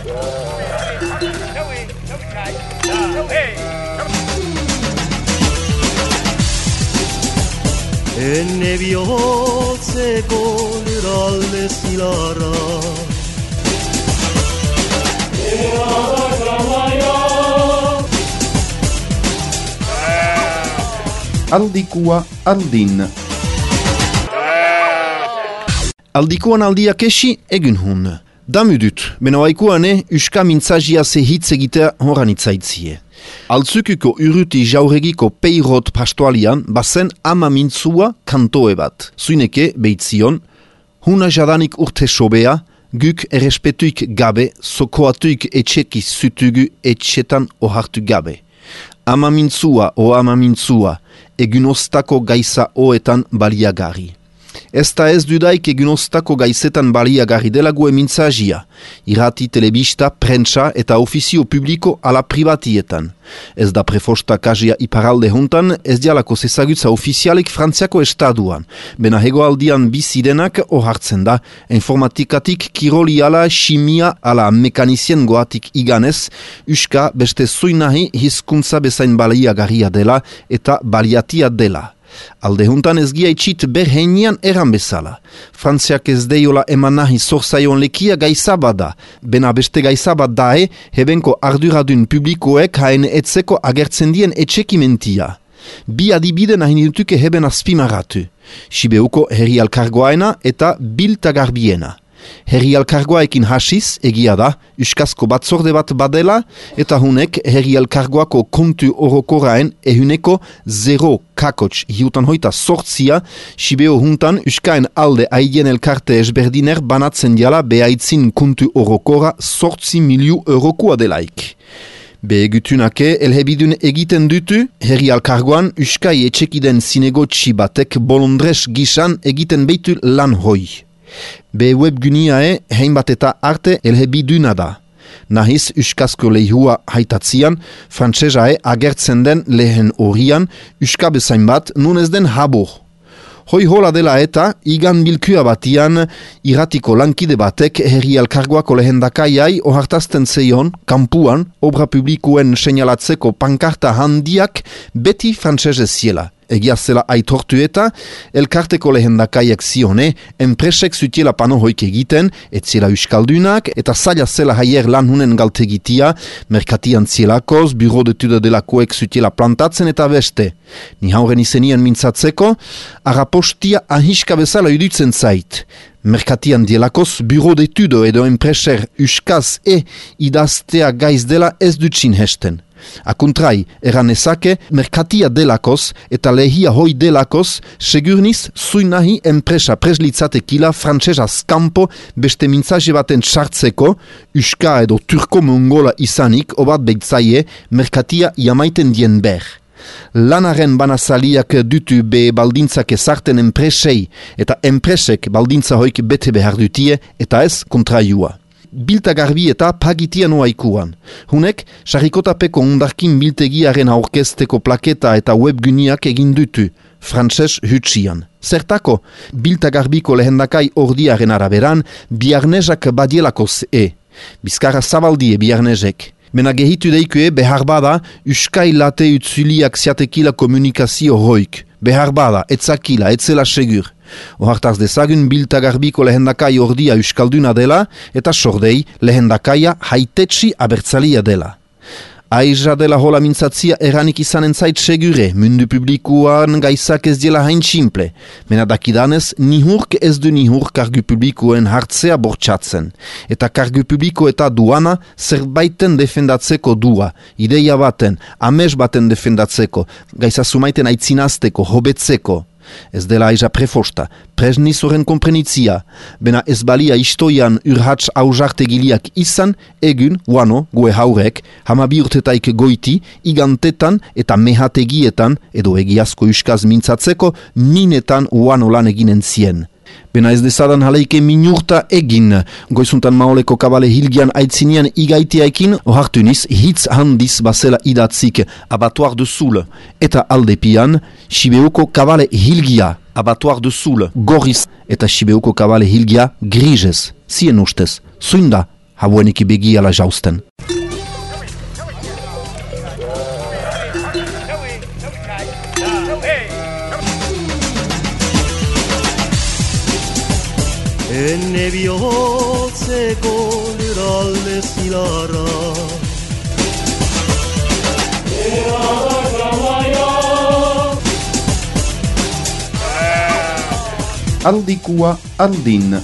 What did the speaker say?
Enne bihotzeko lurralde zilarra Aldikua aldin. Aldikuan aldiak esi egun hun. Damudut, benoaikuane uska mintzagia ze hitz egitea horan itzaitzie. Altzukuko uruti jauregiko peirot pastoalian bazen ama mintzua kantoe bat. Zuineke beitzion, huna jadanik urte sobea, guk errespetuik gabe, sokoatuik etxeki zutugu etxetan ohartu gabe. Ama mintzua, egunostako gaisa oetan baliagarri. Ezta ez dudaik egunostako gaizetan baliagarri delago emintzagia, irrati, telebista, prentsa eta ofizio publiko ala privatietan. Ez da prefosta kazia iparalde hontan, ez dialako zezagutza ofizialik Frantziako estaduan. Bena hegoaldian bizidenak ohartzen da, informatikatik kiroli ala chimia ala mekanizien goatik iganez, uska beste zuinahi hizkuntza bezain baliagarria dela eta baliatia dela. Alde juntan ez giaitxit berheinian eran bezala. Frantziak ez deiola eman nahi zorzaion lekia gaizabada. Bena beste gaizabat dae, hebenko arduradun publikoek haen etzeko agertzen dien etxekimentia. Bi adibide nahi dutuke heben azpimarratu. Sibeuko herri alkargoaena eta biltagarbiena. Herri alkargoaekin hasiz, egia da, uskazko batzorde bat badela, eta hunek herri alkargoako kontu orokoraen ehuneko 0,8 Sibeo huntan uskaen alde aien elkarte esberdiner banatzen diala behaitzin kontu orokora 8 miliu eurokoa delaik. Behegutunake elhebidun egiten dutu, herri alkargoan uskai etxekiden zinegotxi batek bolondres gisan egiten beitu lan hoi. Be webguniae heinbat eta arte elhebiduna da. Nahiz uskazko lehua haitatzian, frantsesae agertzen den lehen horian, uska bezain bat nun ez den habor. Hoi hola dela eta, igan bilkua batian, irratiko lankide batek herri elkargoako lehendakaiai ohartazten zeion, kampuan, obra publikoen seinalatzeko pankarta handiak beti frantsesez ziela. Egia zela aitortu eta, elkarteko lehendakaiak zione, enpresek zutiela pano hoik egiten, etzela uskaldunak, eta zaila zela haier lan hunen galtegitia, merkatian zielakoz, buro detuda delakoek zutiela plantatzen eta beste. Ni hauren izenien mintzatzeko, arapostia ahiska bezala idutzen zait. Merkatian dielakoz, buro detudo edo enpreser uskaz idaztea gaiz dela ez dutxin hesten. Akuntrai, eran ezake, merkatia delakoz eta lehia hoi delakoz, segurniz zuinahi enpresa preslitzatekila frantsesaz kanpo beste mintzaje baten sartzeko, uska edo turko-mongola izanik, obat beitzaie, merkatia jamaiten dien ber. Lanaren banazaliak dutu be baldintzak ezarten enpresei eta enpresek baldintza hoik bete behar dutie eta ez kontraiua. Biltagarbi eta pagitian oaikuan. Hunek, sarrikotapeko undarkin biltegiaren aurkezteko plaketa eta webguniak egin dutu, frantses hutsian. Zertako, biltagarbiko lehendakai ordiaren araberan, biarnezak badielakoz Bizkarra zabaldie biarnezek. Mena gehitu deikue behar bada, uskai late utzuliak ziatekila komunikazio hoik. Behar bada, etzakila, etzela segur. Ohartaz dezagun biltagarbiko lehendakai ordia euskalduna dela eta sordei lehendakaia haitetsi abertzalia dela. Aiza dela hola mintzatzia eranik izanen zait segure, mundu publikoan gaizak ez diela hain simple. Mena dakidanez, nihurk ez du nihur kargu publikoen hartzea bortxatzen. Eta kargu publiko eta duana zerbaiten defendatzeko dua, ideia baten, amez baten defendatzeko, gaiza sumaiten aitzinazteko, hobetzeko. Ez dela aiza prefosta, presniz horren komprenitzia, bena ez balia istoian urhatz aujartegiliak izan, egun, guano, goe haurek, hamabi urtetaik goiti, igantetan eta mehategietan, edo egiazko uskaz mintzatzeko, minetan guano lan eginen zien. Bena ez dezadan haleike minurta egin, goizuntan maoleko kabale hilgian aitzinean igaiteaikin, ohartuniz hitz handiz basela idatzik abatuar de Soule, eta aldepian, Sibeuko kabale hilgia, abatuar de Soule, gorriz, eta Sibeuko kabale hilgia grizez, zien ustez, zuinda, haueniki begiala jausten. Enne bihotzeko lurralde zilarra Aldikua aldin.